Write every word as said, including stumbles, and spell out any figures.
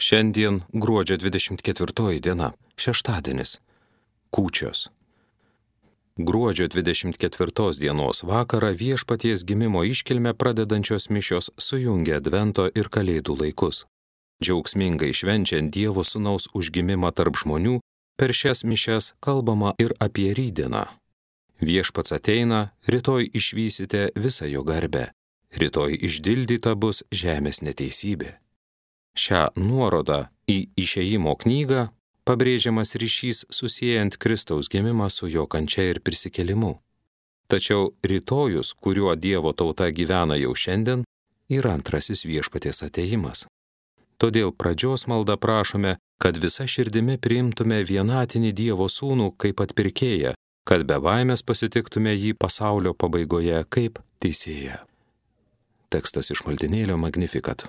Šiandien gruodžio dvidešimt ketvirtoji diena, šeštadienis, kūčios. Gruodžio dvidešimt ketvirtos dienos vakarą Viešpaties gimimo iškilmę pradedančios mišios sujungia Advento ir Kalėdų laikus. Džiaugsmingai švenčiant Dievo Sūnaus užgimimą tarp žmonių, per šias mišias kalbama ir apie rytdieną. Viešpats ateina, rytoj išvysite visą jo garbę, rytoj išdildyta bus žemės neteisybė. Šią nuorodą į Išėjimo knygą pabrėžiamas ryšys susiejant Kristaus gimimą su jo kančia ir prisikėlimu. Tačiau rytojus, kuriuo Dievo tauta gyvena jau šiandien, yra antrasis Viešpaties atėjimas. Todėl pradžios maldą prašome, kad visa širdimi priimtume vienatinį Dievo sūnų kaip atpirkėją, kad be baimės pasitiktume jį pasaulio pabaigoje kaip teisėją. Tekstas iš maldynėlio Magnificat.